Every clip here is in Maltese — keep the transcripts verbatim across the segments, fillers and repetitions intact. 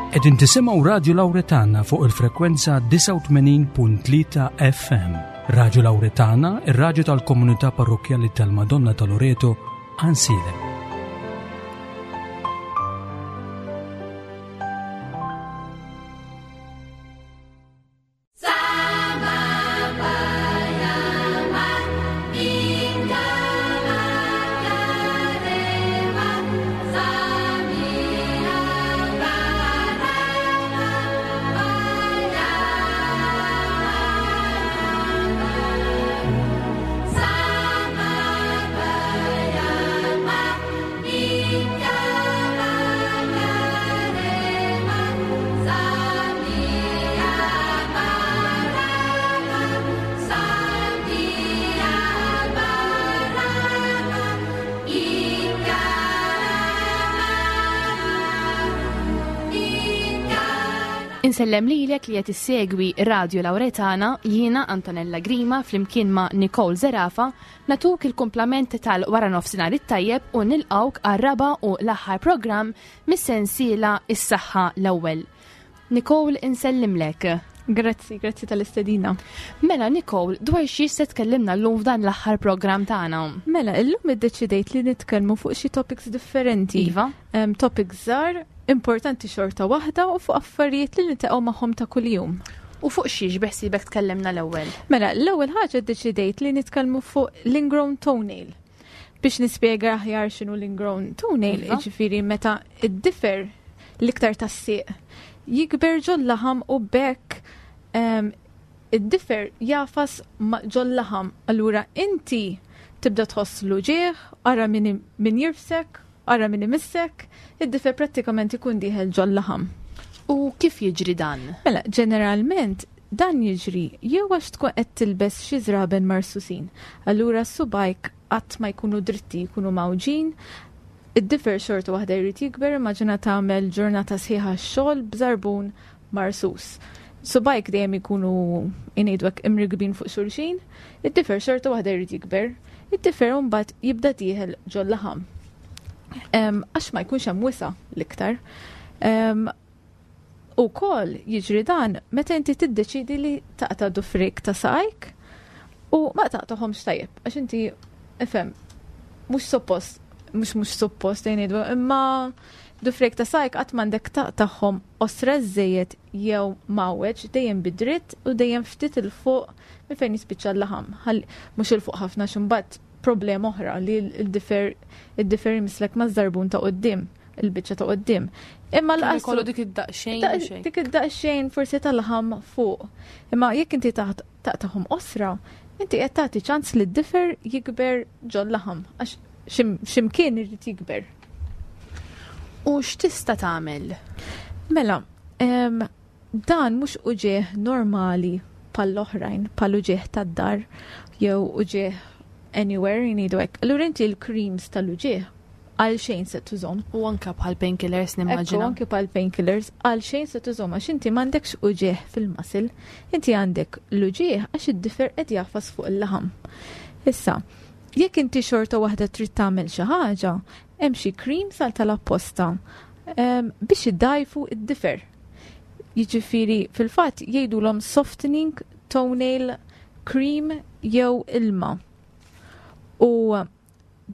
Qegħdin tisimgħu Radio Lauretana fuq il-frekwenza disgħa u tmenin punt tlieta F M. Radio Lauretana, ir-radju tal-Komunità Parrokkjali tal-Madonna ta' Loreto, Għajnsielem. Insellem lilek li qed issegwi Radio Lauretana, jiena Antonella Grima flimkien ma' Nicole Zerafa natuk il-kumplament tal-wara nofsinhar it-tajjeb u nilqgħuk għar-raba' u l-aħħar programm mis-sensiela Is-Saħħa l-Ewwel. Nicole, insellimlek. Grazzi, grazzi tal-istedina. Mela Nicole, dwar xiex se tkellimna llum f'dan l-aħħar programm tagħna? Mela, illum iddeċidejt li nitkellmu fuq xi topics differenti. Iva. Em, topics żgħar, importanti xorta waħda u fuq affarijiet li niltaqgħu magħhom ta' kuljum. U fuq xiex beħsiebek tkellimna l-ewwel? Mela, l-ewwel ħaġa ddeċidejt li nitkellmu fuq l-ingrown toenail. Biex nispjega aħjar x'inhu l-ingrown toenail, Iva. jiġifieri meta id-difer l-iktar tas-sieq jikber ġol-laħam u bekk, em, id-difer jafas ma-, ġol-laħam. Allura inti tibda tħoss l-uġigħ, ara min im-, min jirfsek, ara min imissek, id-difer prattikament ikun dieħel ġol-laħam. U kif jiġri dan? Mela, ġeneralment dan jiġri jew għax tkun qed tilbes xi żraben marsusin. Allura subajk qatt ma jkunu dritti, jkunu mawġin. Id-difer xorta waħda jrid jikber, immaġina tagħmel ġurnata sħiħa x-xogħol b'żarbun marsus. Subajk dejjem ikunu ngħidu hekk imrigbin fuq xulxin, id-difer xorta waħda jrid jikber, id-difer mbagħad jibda dieħel ġol-laħam. Em, għax ma jkunx hemm wisa' l-iktar. Em, u wkoll jiġri dan meta inti tiddeċidi li taqta' dufrik ta' saqajk u ma taqtahomx tajjeb, għax inti ifhem mhux suppost, mhux mhux suppost ngħidu, imma dufrik ta' saqajk qatt m'għandek taqtagħhom osra żejjed jew mawweġ, dejjem bidritt u dejjem ftit il fuq minn fejn jispiċċa l-laħam. Ħalli mhux il fuq ħafna x'imbagħad problema oħra li l-difer, id-difer jmislek ma' żarbun ta' quddiem, il-biċċa ta' quddiem. Imma Kemm l-qasru ikollu dik id-daqsxejn Da- u xejn. Dik id-daqsxejn forsi tal-laħam fuq. Imma jekk inti taħt-, taqtagħhom osra, inti qed tagħti ċans li d-difer jikber ġol-laħam, għax xim-, ximkien irid jikber. U x'tista' tagħmel? Mela, em, dan mhux uġigħ normali bħall-oħrajn, bħal uġigħ tad-dar jew uġigħ anywhere jgħidu hekk. Allura inti l-creams tal-uġigħ għal xejn se tużhom. U anke bħal painkillers Ekku, nimmaġina. anke bħal painkillers għal xejn se tużhom għax inti m'għandekx uġigħ fil-muscle, inti għandek l-uġigħ għax id-difer qed jagħfas fuq il-laħam. Issa, jekk inti xorta waħda trid tagħmel xi ħaġa, hemm xi creams għal tal-apposta, em, biex iddajfu id-difer. Jiġifieri fil-fatt jgħidulhom softening toenail cream jew ilma. U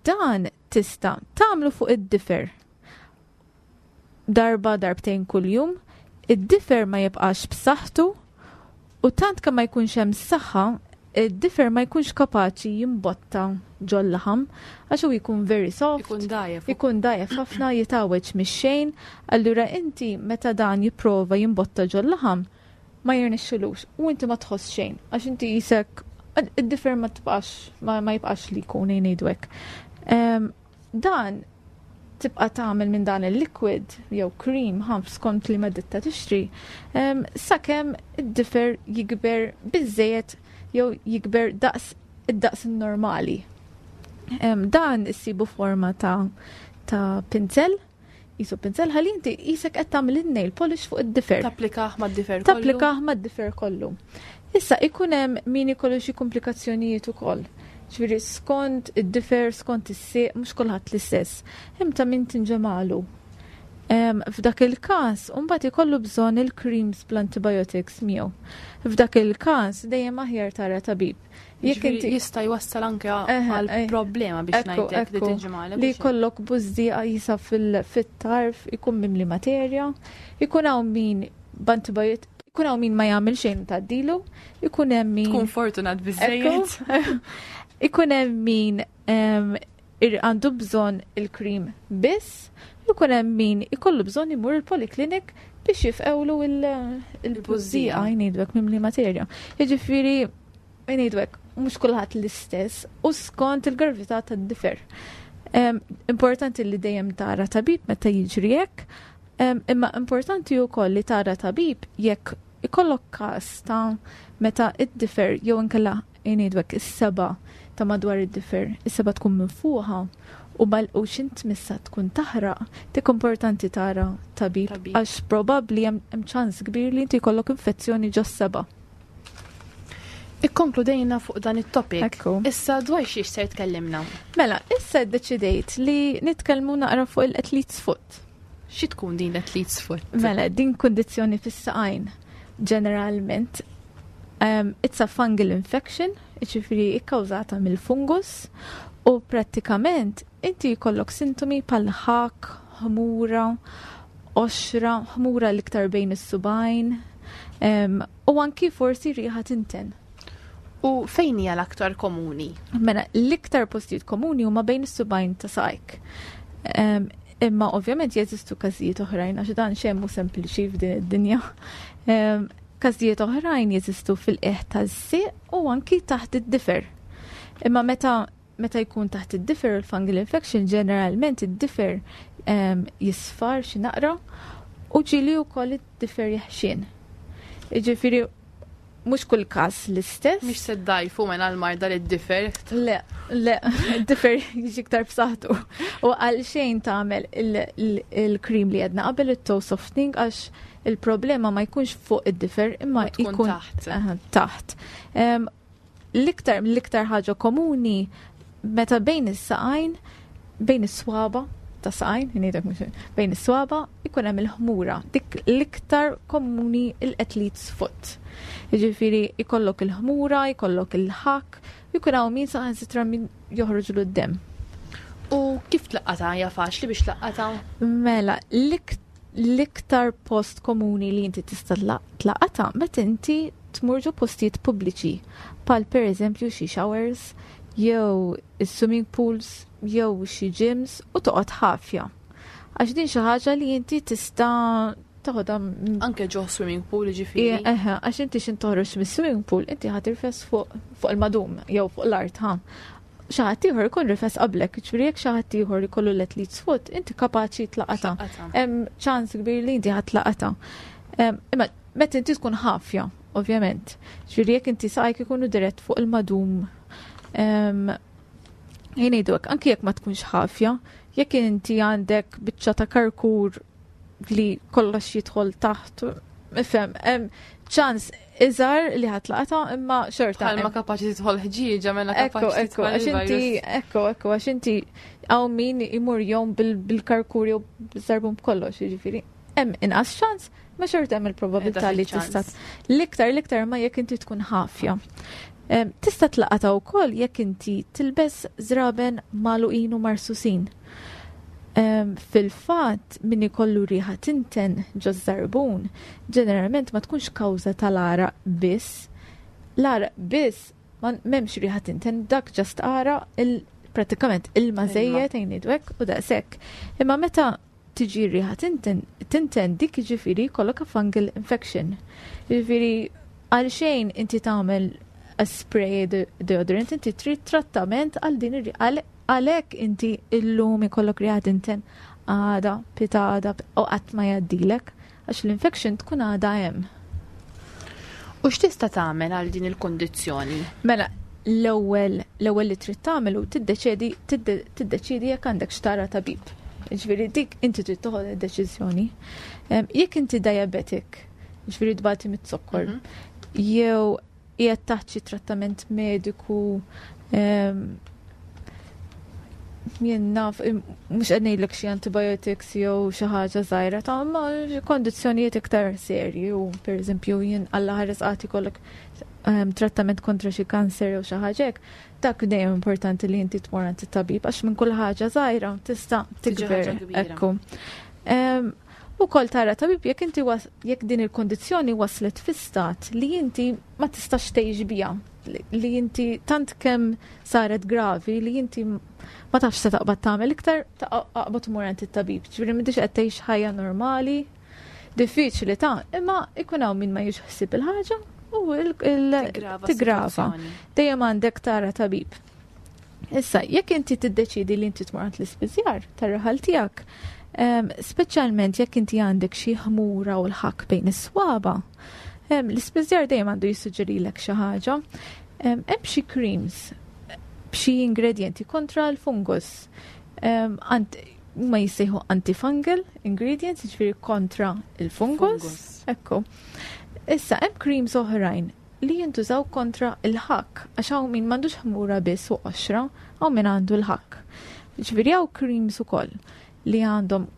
dan tista' tagħmlu fuq id-difer. Darba darbtejn kuljum, id-difer ma jibqax b'saħħtu u tant kemm ma jkunx hemm saħħa, id-difer ma jkunx kapaċi jimbotta ġol-laħam għax hu jkun very soft. Ikun dajjef. Ikun dajjef ħafna, jitgħawweġ mix-xejn. Allura inti meta dan jipprova jimbotta ġol-laħam ma jirnexxilux u inti ma tħoss xejn għax inti jisek id-difer ma tibqax, ma, ma jibqax li jkun ngħidu hekk. Em, dan tibqa' tagħmel minn dan il-liquid jew cream ħamf skont li ma ditta tixtri, em, sakemm id-difer jikber biżejjed jew jikber daqs id-daqs normali. Em, dan issibu forma ta', ta' pinzel, jisu pinzel ħalli inti jisek qed tagħmel in-nail polish fuq id-difer. Tapplikah mad-difer kollu. Tapplikah mad-difer kollu. Issa ikun hemm min ikollu xi komplikazzjonijiet ukoll. Ġifieri skont id-difer, skont is-sieq, mhux kulħadd l-istess. Hemm ta' min tinġemalu. F'dak il-każ, mbagħad ikollu bżonn il-creams bl-antibiotics miegħu. F'dak il-każ dejjem aħjar tara tabib. Jekk inti jista' jwassal anke għal problema biex ngħidlek li tinġimgħalek. Li jkollok bużdieqa jisa fil-tarf, ikun mimli materja, ikun hawn min b'antibiotic, ikun hawn min ma jagħmel xejn tgħaddilu, ikun hemm min tkun fortunat biżejjed. Ikun hemm min għandu bżonn il-cream biss, ikun hemm min ikollu bżonn imur il-poliklinik biex jifqewlu il-bużdieqa jgħidulek mimli materja. Jiġifieri ngħidulek mhux kulħadd l-istess u skont il-gravità tad-difer. Importanti li dejjem tara tabib meta jiġri hekk, imma importanti wkoll li tara tabib jekk ikollok każ ta' meta id-difer jew inkella ngħidulek is-seba' ta' madwar id-difer, is-seba' tkun minfuħa u mal u xint missa tkun taħraq, dik importanti tara tabib għax probabbli hemm ċans kbir li inti jkollok infezzjoni ġos-seba'. Ikkonkludejna fuq dan it-topic. Issa dwar xiex ser tkellimna? Mela, issa ddeċidejt li nitkellmu naqra fuq il-athlete's foot. Xi tkun din l-athlete's foot? Mela, din kundizzjoni fis-saqajn ġeneralment. Um, it's a fungal infection, jiġifieri ikkawżata mill-fungus, u prattikament inti jkollok sintomi bħal ħakk, ħmura, qoxra, ħmura l-iktar bejn is-subgħajn, um, u anki forsi riħa tinten. U fejn hija l-aktar komuni? Mela, l-iktar postijiet komuni huma bejn is-subgħajn ta' saqajk. Um, imma ovvjament jeżistu każijiet oħrajn għax dan xejn mhu sempliċi f'din id-dinja. Um, każijiet oħrajn jeżistu fil-qiegħ taż-żieq u anki taħt id-difer. Imma meta meta jkun taħt id-difer il-fungal infection, ġeneralment id-difer um, jisfar xi naqra u ġieli wkoll id-difer jeħxien. Jiġifieri mhux kull każ l-istess. Mhix se ddajfu mela l-marda li d-difer. Le, le, d-difer jiġi iktar b'saħħtu. U għal xejn tagħmel il-cream li għedna qabel, it-toe softening, għax il-problema ma jkunx fuq id-difer imma jkun taħt. Taħt. L-iktar l-iktar ħaġa komuni meta bejn is-saqajn, bejn is-swaba ta' saqajn, ngħidlek mhux bejn is-swaba, ikun hemm il-ħmura. Dik l-iktar komuni, il-athlete's foot. Jiġifieri ikollok il-ħmura, ikollok il-ħakk, jkun hawn min saħansitra min joħroġlu d-dem. U kif tlaqqata? Hija faċli biex tlaqqata? Mela, l-iktar post komuni li inti tista' tlaqata meta inti tmur ġo postijiet pubbliċi, bħal per eżempju xi showers, jew is-swimming pools, jew xi gyms, u toqgħod ħafja. Għax din xi ħaġa li inti tista' toħodha anke ġo swimming pool ġifieri. Eħe, għax inti x'in toħroġ mis-swimming pool, inti ħa tirfes fuq fuq il-madum jew fuq l-art, ha. Xi ħadd ieħor ikun rifes qablek, ġifieri jekk xi ħadd ieħor ikollu l-athlete's foot, inti kapaċi tlaqata. Hemm ċans kbir li inti ħa tlaqata. Imma meta inti tkun ħafja, ovvjament. Ġifieri jekk inti saqajk ikunu dirett fuq il-madum, jien ngħidu anki jekk ma tkunx ħafja, jekk inti għandek biċċa ta' karkur li kollox jidħol taħt, ifhem, hemm ċans iżgħar li ħa tlaqata, imma xorta. Bħalma kapaċi tidħol ħġieġa, mela kapaċi tidħol. Għax inti, ekku, ekku, għax inti hawn min imur jom bil-karkur jew bil-żarbun b'kollox, jiġifieri. Hemm inqas ċans, ma xorta hemm il-probabilità li tista'. L-iktar, l-iktar ma jekk inti tkun ħafja. Tista' tlaqata wkoll jekk inti tilbes żraben magħluqin u marsusin. Fil-fatt, min ikollu riħa tinten ġo żarbun, ġeneralment ma tkunx kawża tal-għaraq biss. L-għaraq biss ma m'hemmx riħa tinten, dak ġast għaraq il pratikament ilma żejjed ngħidu u daqshekk. Imma meta tiġi riħa tinten, tinten dik jiġifieri jkollok a fungal infection. Jiġifieri għal xejn inti tagħmel a spray deodorant, inti trid trattament għal din ir-riħa. Għalhekk inti illum ikollok riħa tinten, għada, pitada, u qatt ma jgħaddilek, għax l-infection tkun għada hemm. U x'tista' tagħmel għal din il-kundizzjoni? Mela, l-ewwel l-ewwel li trid tagħmel u tiddeċiedi tiddeċiedi jekk għandek x'tara tabib. Jiġifieri dik inti trid toħod id-deċiżjoni. Jekk inti diabetic, jiġifieri tbati mit-zokkor, jew qiegħed taħt xi trattament mediku, Jien naf, mhux qed ngħidlek xi antibiotics jew xi ħaġa żgħira ta' ma kondizzjonijiet iktar serji u pereżempju jien Alla ħares qatt ikollok um, trattament kontra xi kanser jew xi ħaġa hekk, dak dejjem importanti li inti tmur għand it-tabib għax minn kull ħaġa żgħira tista' tikber. Ekku. Um, u kol tara tabib jekk inti jekk din il-kondizzjoni waslet fi stat li inti ma tistax tgħix biha, li inti tant kemm saret gravi li inti ma tafx se taqbad tagħmel iktar, taqbad tmur għand it-tabib. Ġifieri m'intix qed tgħix ħajja normali, diffiċli ta' imma ikun hawn min ma jiġħsib il-ħaġa u tigrava. Dejjem għandek tara tabib. Issa, jekk inti tiddeċidi li inti tmur għand l-ispiżjar tar-raħal tiegħek, um, speċjalment jekk inti għandek xi ħmura u l-ħakk bejn is-swaba, um, l-ispiżjar dejjem għandu jissuġġerilek xi ħaġa. Hemm um, xi creams b'xi ingredienti kontra l-fungus. Um, ma jissejħu antifungal ingredients, jiġifieri kontra il-fungus. Ekku. Issa, hemm creams oħrajn li jintużaw kontra il-ħakk, għax hawn min m'għandux ħmura biss u qoxra, hawn min għandu l-ħakk. Ġifieri hawn creams ukoll li għandhom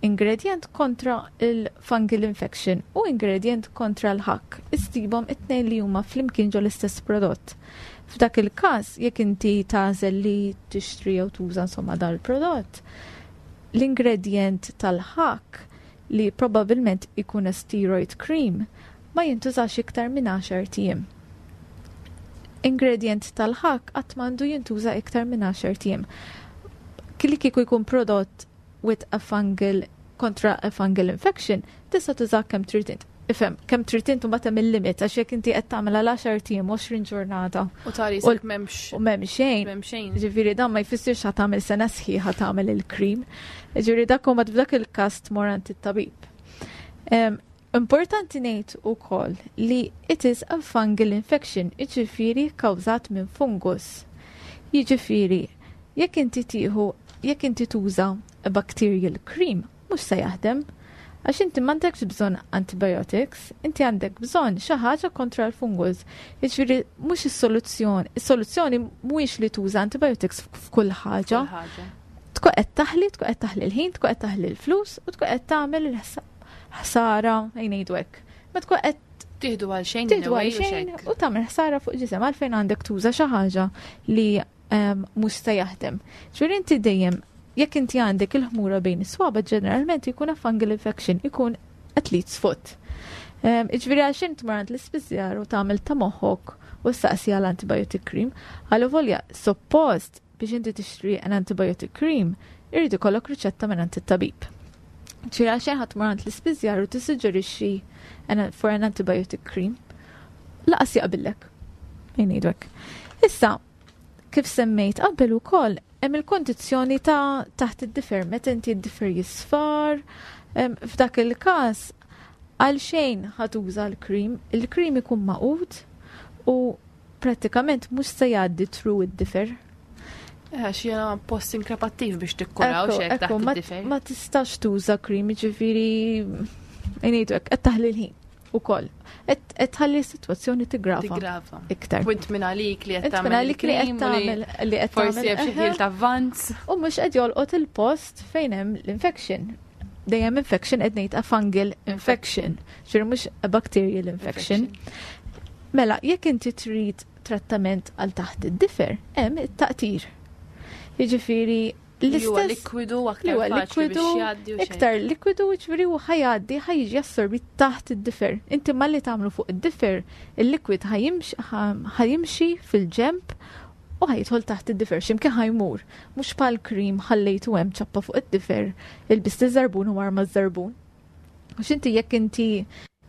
ingredient kontra il-fungal infection u ingredient kontra l-ħakk. Issibhom it-tnejn li huma flimkien ġo l-istess prodott. F'dak il-każ, jekk inti tagħżel li tixtri jew tuża insomma dal-prodott, l-ingredient tal-ħakk li probabbilment ikun a steroid cream ma jintużax iktar minn għaxart ijiem. Ingredient tal-ħakk qatt m'għandu jintuża iktar minn għaxart ijiem. Li kieku jkun prodott with a fungal kontra a fungal infection, tista' tuża kemm trid int. Ifhem, kemm trid int u mbagħad hemm il-limit għax jekk inti qed tagħmel għal għaxart ijiem, għoxrin ġurnata. U tari m'hemmx. U m'hemm xejn. M'hemm xejn. Ġifieri dan ma jfissirx ħa tagħmel sena sħiħa tagħmel il-cream. Ġifieri dak huma f'dak il-każ tmur għand it-tabib. Importanti ngħid ukoll li it is a fungal infection, jiġifieri kkawżat minn fungus. Jiġifieri, jekk inti tieħu, jekk inti tuża a bacterial cream, mhux se jaħdem. Għax inti m'għandekx bżonn antibiotics, inti għandek bżonn xi ħaġa kontra l-fungus. Jiġifieri mhux is-soluzzjoni, is-soluzzjoni mhuwiex li tuża antibiotics f'kull ħaġa. Tkun qed taħli, tkun qed taħli l-ħin, tkun qed taħli l-flus u tkun qed tagħmel ħsara, ngħidu hekk. Ma tkun qed tieħdu għal xejn, tieħdu għal xejn u tagħmel ħsara fuq ġisem għalfejn għandek tuża xi ħaġa li mhux se jaħdem. Ġifieri inti dejjem jekk inti għandek il-ħmura bejn is-swaba ġeneralment ikun a fungal infection, ikun athlete's foot. Ġifieri għax int tmur għand l-ispiżjar u tagħmel ta' moħħok u staqsi għal antibiotic cream, għal volja suppost biex inti tixtri an antibiotic cream, irid ikollok riċetta minn għand it-tabib. Ġifieri għaxejn ħadd tmur għand l-ispiżjar u tissuġġerixxi for an antibiotic cream, lanqas jaqbillek. Ngħidu hekk. Issa, kif semmejt qabel ukoll, hemm il-kondizzjoni ta' taħt id-difer, meta inti d-difer jisfar, f'dak il-każ għal xejn ħa tuża l-cream, il-cream ikun magħqud u prattikament mhux se jgħaddi through id-difer. Għax jena post inkrepattiv biex tikkuraw xek taħt id-difer. Ma tistax tuża cream, ġifieri ngħidu hekk, qed taħli l-ħin ukoll. Qed tħalli s-sitwazzjoni tigrava. Tigrava. Iktar. Punt minn għalik li qed tagħmel għalik li qed tagħmel li qed forsi hemm xi ħil ta' avvanz. U mhux qed jolqot il-post fejn hemm l-infection. Dejjem infection qed ngħid a fungal infection, ġifieri mhux a bacterial infection. Mela, jekk inti trid trattament għal taħt id-difer, hemm it-taqtir. Jiġifieri l-istess likwidu aktar likwidu iktar likwidu ġifieri u ħa jgħaddi ħa jiġi assorbit taħt id-difer. Inti malli tagħmlu fuq id-difer, il-likwid ħa jimxi fil-ġemp u ħa jidħol taħt id-difer, x'imkien ħa jmur. Mhux bħal cream ħallejtu hemm ċappa fuq id-difer, ilbist iż-żarbun u arma ż-żarbun. Għax inti jekk inti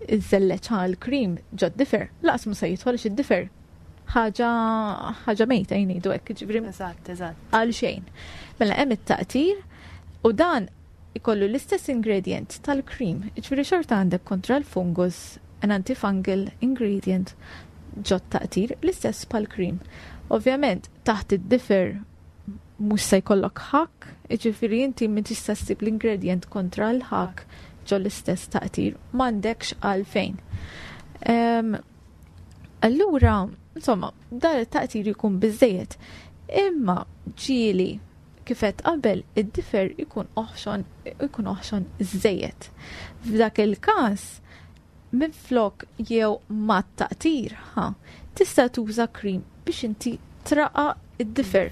iżżelleġ l-cream ġo d-difer, lanqas mhu se jidħol id-difer. Ħaġa ħaġa mejta jgħidu hekk, ġifieri. Eżatt, eżatt. Għal xejn. Mela hemm it-taqtir u dan ikollu l-istess ingredient tal-cream. Ġifieri xorta għandek kontra l-fungus, an antifungal ingredient ġo taqtir, l-istess bħal-cream. Ovvjament, taħt id-difer mhux se jkollok ħakk, ġifieri inti min tista' ssib l-ingredient kontra l-ħakk ġo l-istess taqtir, m'għandekx għalfejn. Um, allura, insomma, dan it-taqtir jkun biżejjed. Imma ġieli Kif għedt qabel, id-difer ikun oħxon, ikun oħxon żejjed. F'dak il-każ, minflok jew ma taqtir, ha, tista' tuża cream biex inti traqqaq id-difer.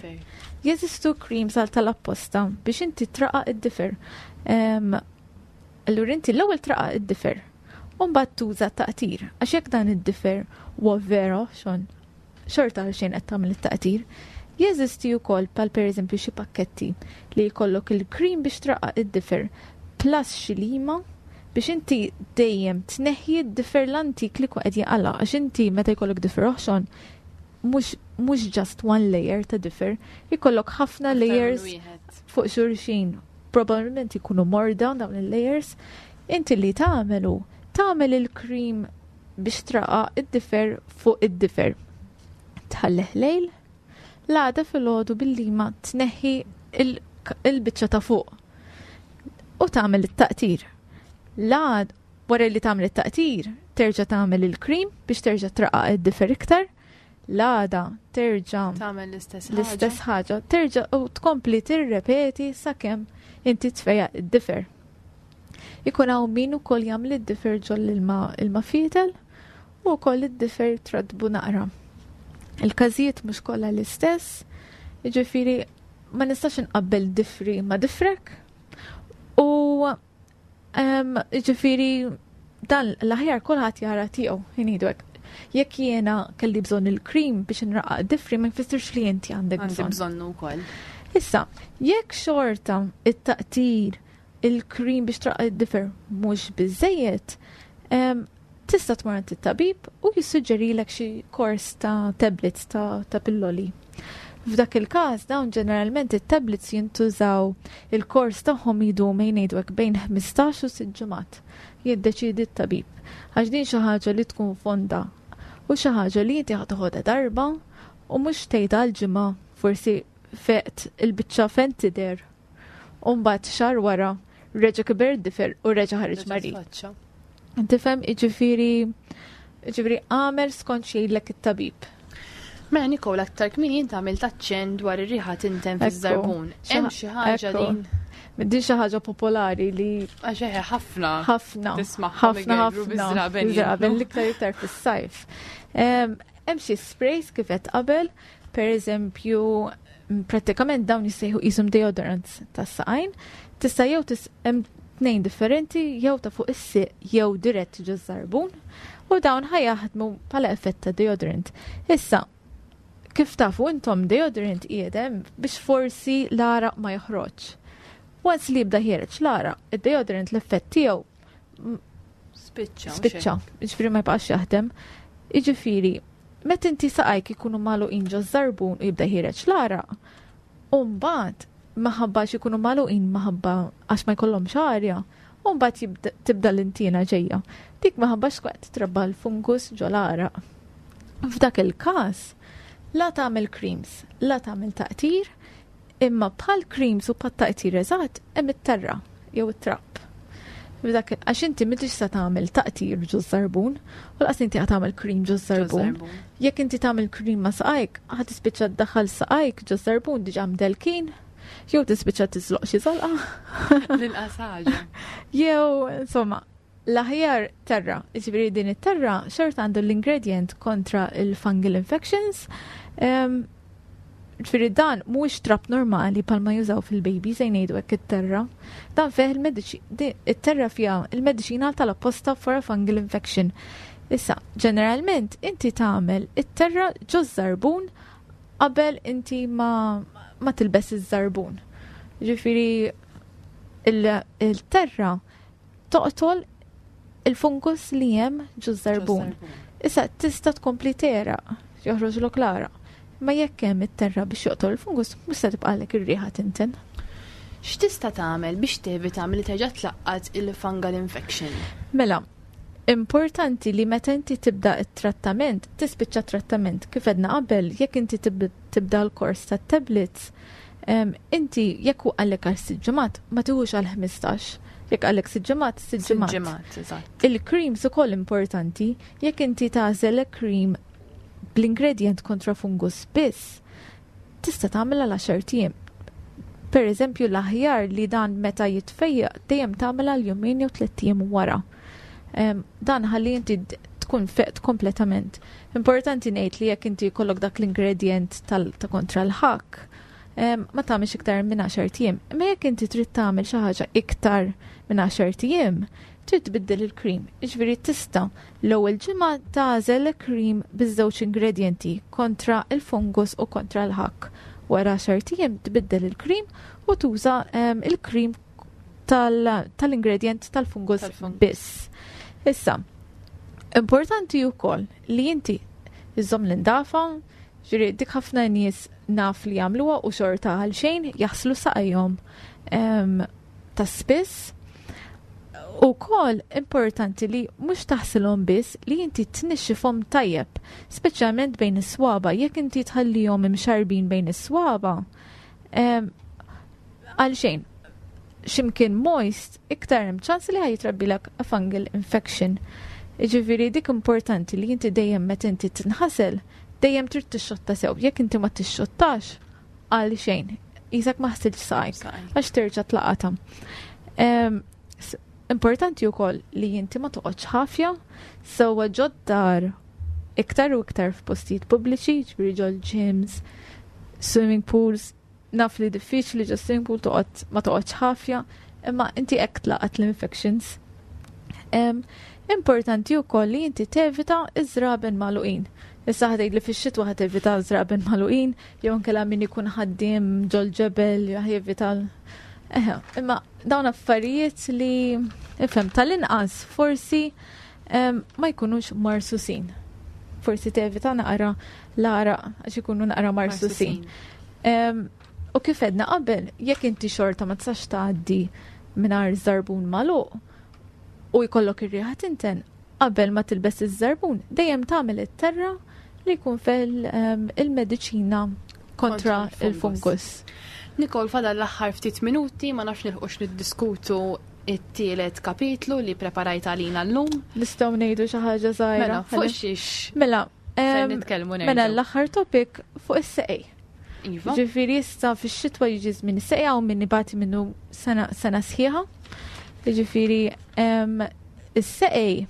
Jeżistu creams għal tal-apposta biex inti traqqaq id-difer. Em, Allura inti l-ewwel traqqaq id-difer. U mbagħad tuża taqtir. Għax jekk dan id-difer huwa vera oħxon, xorta għal xejn qed tagħmel it-taqtir. Jeżisti wkoll pal pereżempju xi pakketti li jkollok il-cream biex traqqaq id-difer plus xi lima biex inti dejjem tneħħi d-difer l-antik li qed jaqla', għax inti meta jkollok difer oħxon mhux mhux just one layer ta' difer, jkollok ħafna layers fuq xulxin. Probabilment ikunu morda dawn il-layers. Inti li tagħmelu, tagħmel il-cream biex traqqaq id-difer fuq id-difer. Tħallih lejl, l-għada filgħodu bil-lima tneħħi il- il-biċċa ta' fuq u tagħmel it-taqtir. L-għad wara li tagħmel it-taqtir, terġa' tagħmel il-cream biex terġa' traqqaq id-difer iktar. L-għada terġa' tagħmel l-istess l-istess ħaġa, terġa' u tkompli tirrepeti sakemm inti tfejjaq id-difer. Ikun hawn min ukoll jagħmel id-difer ġol ilma ilma fietel u wkoll id-difer tratbu naqra. Il-każijiet mhux kollha l-istess, jiġifieri ma nistax inqabbel difri ma' difrek u em, jiġifieri dan l-aħjar kulħadd jara tiegħu ngħidu hekk. Jekk jiena kelli bżonn il-cream biex nraqqaq difri, ma jfissirx li inti għandek Għandi bżonn. bżonnu wkoll. Issa, jekk xorta it-taqtir, il-cream biex traqqaq id-difer mhux biżejjed, em, tista' tmur għand it-tabib u jissuġġerilek xi kors ta' tablets ta', ta' pilloli. F'dak il-każ dawn ġeneralment it-tablets jintużaw, il-kors tagħhom jidum ngħidu hekk bejn ħmistax u sitt ġimgħat. Jiddeċidi t-tabib. Għax din xi ħaġa li tkun fonda u xi ħaġa li inti ħa toħodha darba u mhux tgħidha għal ġimgħa, forsi feqt il-biċċa fejn tidher. U mbagħad xahar wara reġa' kiber difer u reġa' ħareġ marid. Tfaċċa. Tifhem, jiġifieri jiġifieri għamel skont x'jgħidlek it-tabib. Mela Nicole, aktar kmieni inti għamilt aċċenn dwar ir-riħa tinten Ekku. fiż-żarbun. Hemm xi ħaġa Ekku. din? Din xi ħaġa popolari li Għax eħe ħafna. ħafna, Tismagħhom ħafna, igergru ħafna biż-żraben biż-żraben jintnu. l-iktar iktar fis-sajf. Em, Hemm xi sprays kif qed qabel, per eżempju, m, prattikament dawn jissejħu qishom deodorants tas-saqajn. Tista' jew tis hemm tnejn differenti, jew ta' fuq is-siq jew dirett ġo żarbun, u dawn ħa jaħdmu bħala effett ta' deodorant. Issa, kif tafu intom, deodorant qiegħed biex forsi l-għaraq ma joħroġ. Once li jibda ħiereġ l-għaraq, id-deodorant l-effett tiegħu Spiċċa. spiċċa, jiġifieri ma jibqax jaħdem. Jiġifieri, meta inti saqajk ikunu magħluqin ġo żarbun u jibda ħiereġ l-għaraq, u mbagħad maħabba xi jkunu magħluqin, maħabba għax ma jkollhomx arja, u mbagħad jibda- tibda l-intina ġejja. Dik maħabba x'qed titrabba l-fungus ġo l-għaraq. F'dak il-każ, la tagħmel creams, la tagħmel taqtir, imma bħal creams u bħal taqtir eżatt hemm it-terra jew it-trab. F'dak għax inti m'intix se tagħmel taqtir ġo żarbun, u lanqas inti ħa tagħmel cream ġo żarbun. Jekk inti tagħmel cream ma' saqajk, ħa tispiċċa ddaħħal saqajk ġo żarbun diġà mdelkin, jew tispiċċa tiżloq xi żalqa, L-inqas ħaġa. jew insomma, l-aħjar terra. Ġifieri din it-terra xorta għandu l-ingredient kontra il-fungal infections. Em, Ġifieri dan mhuwiex trab normali palma jużaw fil-baby se ngħidu hekk it-terra. Dan fih il-mediċi it-terra fiha il-mediċina tal-apposta for a fungal infection. Issa, ġeneralment inti tagħmel it-terra ġo żarbun qabel inti ma, ma tilbes iż-żarbun. Ġifieri il- il-terra toqtol il-fungus li hemm ġo żarbun. Issa tista' tkompli tegħraq, joħroġlok l-għaraq. Ma jekk hemm it-terra biex joqtol il-fungus, mhux se tibqalek ir-riħa tinten. X'tista' tagħmel biex tevita milli terġa' tlaqqat il-fungal infection? Mela, importanti li meta inti tibda it-trattament, tispiċċa trattament kif għedna qabel, jekk inti tib- tibda l-kors ta' tablets, em, inti jekk hu qallek għal sitt ġimgħat, ma tiħux għal ħmistax. Jekk qallek sitt ġimgħat, sitt ġimgħat. Ġimgħat, eżatt. Il-creams ukoll importanti, jekk inti tagħżel cream bl-ingredient kontra fungus biss, tista' tagħmel għal għaxart ijiem. Per eżempju, l-aħjar li dan meta jitfejjaq dejjem tagħmel għal jumejn jew tliet ijiem wara. Dan ħalli inti tkun feqt kompletament. Importanti ngħid li jekk inti jkollok dak l-ingredient ta' kontra l-ħakk, ma tagħmilx iktar minn għaxart ijiem. Imma jekk inti trid tagħmel xi ħaġa iktar minn għaxart ijiem, trid tbiddel il-cream. Jiġifieri tista' l-ewwel ġimgħa tagħżel cream biż-żewġ ingredienti kontra il-fungus u kontra l-ħakk. Wara għaxart ijiem tbiddel il-cream u tuża il-cream tal-ingredient tal-fungus biss. Issa, importanti wkoll li inti iżżomm l-indafa, ġifieri dik ħafna nies naf li jagħmluha u xorta għal xejn jaħslu saqajhom ta' spiss. Ukoll importanti li mhux taħsilhom biss, li inti tnixxifhom tajjeb, speċjalment bejn is-swaba. Jekk inti tħallihom imxarbin bejn is-swaba, għal xejn, x'imkien moist, iktar hemm ċans li ħa jitrabbilek a fungal infection. Jiġifieri dik importanti li inti dejjem meta inti tinħasel, dejjem trid tixxotta sew. Jekk inti ma tixxottax, għal xejn, qisek ma ħsiltx saqajk, għax terġa' tlaqata. Importanti wkoll li inti ma toqgħodx ħafja, sewwa ġod-dar iktar u iktar f'postijiet pubbliċi, ġifieri ġol gyms, swimming pools, naf li diffiċli ġo swimming pool toqgħod ma toqgħodx ħafja, imma inti hekk tlaqat l-infections. Importanti wkoll li inti tevita iż-żraben magħluqin. Issa ħa tgħid li fix-xitwa ħa tevita żraben magħluqin, jew inkella min ikun ħaddiem ġol-ġebel jevita. Eħe, imma dawn affarijiet li ifhem tal-inqas forsi ma jkunux marsusin. Forsi tevita naqra l-għaraq għax ikunu naqra marsusin. U kif għedna qabel, jekk inti xorta ma tistax tgħaddi mingħajr żarbun magħluq u jkollok ir-riħa tinten, qabel ma tilbes iż-żarbun, dejjem tagħmel it-terra li jkun fil il-mediċina kontra il-fungus. Nicole, fadal l-aħħar ftit minuti, ma nafx nilħqux niddiskutu it-tielet kapitlu li preparajt għalina llum. Nistgħu ngħidu xi ħaġa żgħira. Mela, fuq xiex? Mela, Se nitkellmu nerġgħu. Mela l-aħħar topic fuq is-seqej. Iva. Ġifieri issa fix-xitwa jiġi żmien is-seqej u min ibati minnu sena, sena sħiħa. Ġifieri is-seqej.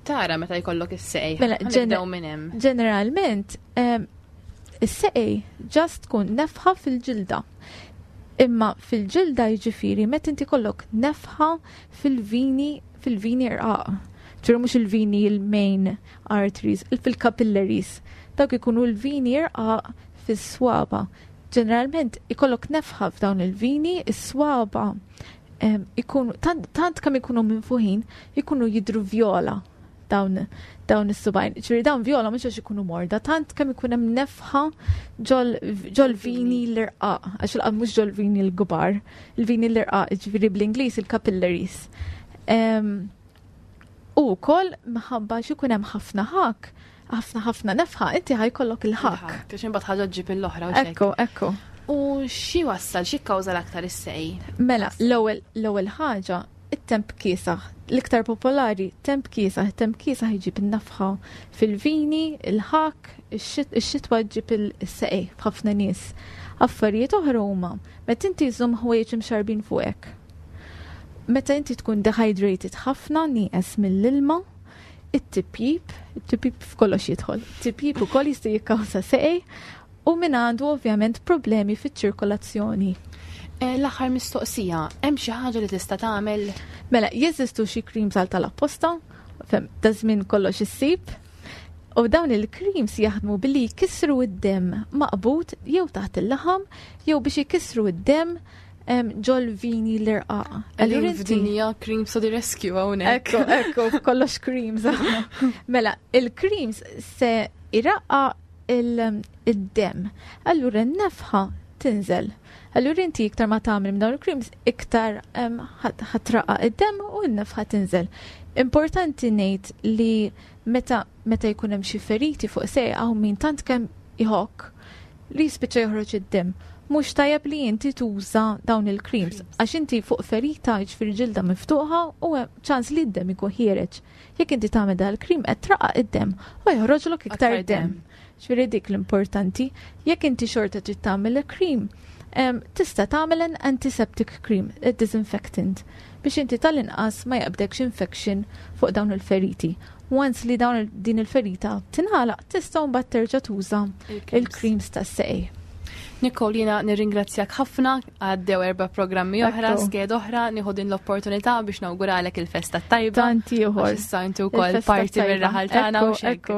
Tara meta jkollok is-seqej. Mela, Ħa nibdew minn hemm. ġeneralment, is-seqej ġast tkun nefħa fil-ġilda. Imma fil-ġilda jiġifieri meta inti kollok nefħa fil-vini, fil-vini rqaq. Ġifieri mhux il-vini il-main arteries, fil-capillaries. Dawk ikunu l-vini rqaq fis-swaba. Ġeneralment ikollok nefħa f'dawn il-vini, is-swaba ikunu tant, tant kemm ikunu minfuħin, ikunu jidru vjola dawn, dawn is-subajn. Ġifieri dawn vjola mhux għax ikunu morda, tant kemm ikun hemm nefħa ġol, ġol vini l-irqaq, għax il mhux ġol vini l-kbar, il-vini l-irqaq, ġifieri bl-Ingliż il-capillaries. U wkoll minħabba xi jkun hemm ħafna ħak, ħafna ħafna nefħa, inti ħajkollok il-ħak. Il-ħak, għax imbagħad ħaġa ġġib l-oħra u xejn. Ekku, ekku. U xi wassal, xi kkawża l-aktar is-seqej? Mela, l-ewwel, l-ewwel ħaġa, it-temp kiesaħ. L-iktar popolari, temp kiesaħ. Temp kiesaħ jġib in-nafħa fil-vini, il-ħak, ix-xitwa ġib il-seqej f'ħafna nies. Affarijiet oħra huma, meta inti żżomm ħwejjeġ imxarbin fuqek. Meta inti tkun dehydrated ħafna, nieqes mill-ilma, it-tipjip, it-tipjip f'kollox jidħol. It-tipjip ukoll jista' jikkawża seqej u min għandu ovvjament problemi fiċ-ċirkolazzjoni. Eh, l-aħħar mistoqsija, hemm xi ħaġa li tista' tagħmel? Mela, jeżistu xi creams għal tal-apposta, fem, da żmien kollox issib. U dawn il-creams jaħdmu billi jkissru id-demm maqbud jew taħt il-laħam jew biex jkissru id-demm ġol vini l-irqaq. Allura f'dinja creams to the rescue hawnhekk. Ekku, ekku, kollox creams. Mela, il-creams se iraqqa il-demm. Allura n-nefħa tinżel. Allura inti iktar ma tagħmel minn dawn il-creams, iktar ħatraqa id-demm u n-nefħa tinżel. Importanti ngħid li meta, meta jkun hemm xi feriti fuq sejqa hawn min tant kemm iħokk li jispiċċa joħroġ id-demm. Mhux tajjeb li inti tuża dawn il-creams, għax inti fuq ferita jiġifieri ġilda miftuħa u hemm ċans li d-demm ikun ħiereġ. Jekk inti tagħmel dan il-cream qed traqa' id-demm u joħroġlok iktar Aktar demm. demm. Ġifieri dik l-importanti. Jekk inti xorta trid tagħmel il-cream, Tista' tagħmel an antiseptic cream, a disinfectant, biex inti tal-inqas ma jaqbdekx infection fuq dawn il-feriti. Once li dawn din il-ferita tingħalaq, tista' mbagħad terġa' tuża il-creams tas-saqaj. Nicole, jiena nirringrazzjak ħafna, għaddew erba' programmi oħra, sked oħra, nieħu din l-opportunità biex nawguralek il-festa tajba. Tanti ieħor. Issa inti wkoll parti mir-raħal tagħna u xekk.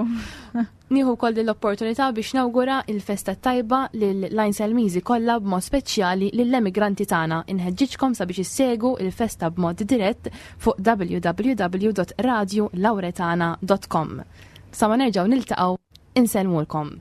Nieħu wkoll din l-opportunità biex nawgura il-festa tajba lil-Għajnselmiżi kollha, b'mod speċjali lill-emigranti tagħna. Inħeġġiġkom sabiex issegu il-festa b'mod dirett fuq w w w punt radiolauretana punt com. Sa ma nerġgħu niltaqgħu, insellmulkom.